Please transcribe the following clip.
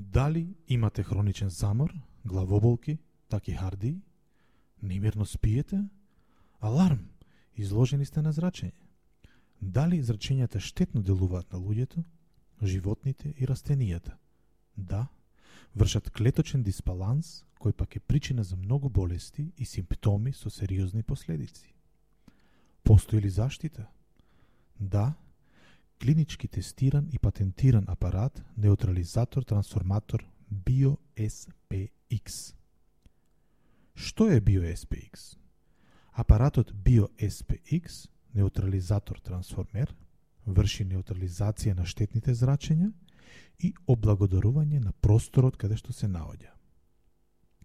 Дали имате хроничен замор, главоболки, такихардии, немирно спиете? Аларм, изложени сте на зрачење. Дали зрачењата штетно делуваат на луѓето, животните и растенијата? Да, вршат клеточен дисбаланс, кој пак е причина за многу болести и симптоми со сериозни последици. Постои ли заштита? Да, клинички тестиран и патентиран апарат неутрализатор трансформатор BioSPX. Што е BioSPX? Апаратот BioSPX, неутрализатор трансформер, врши неутрализација на штетните зрачења и облагодарување на просторот каде што се наоѓа.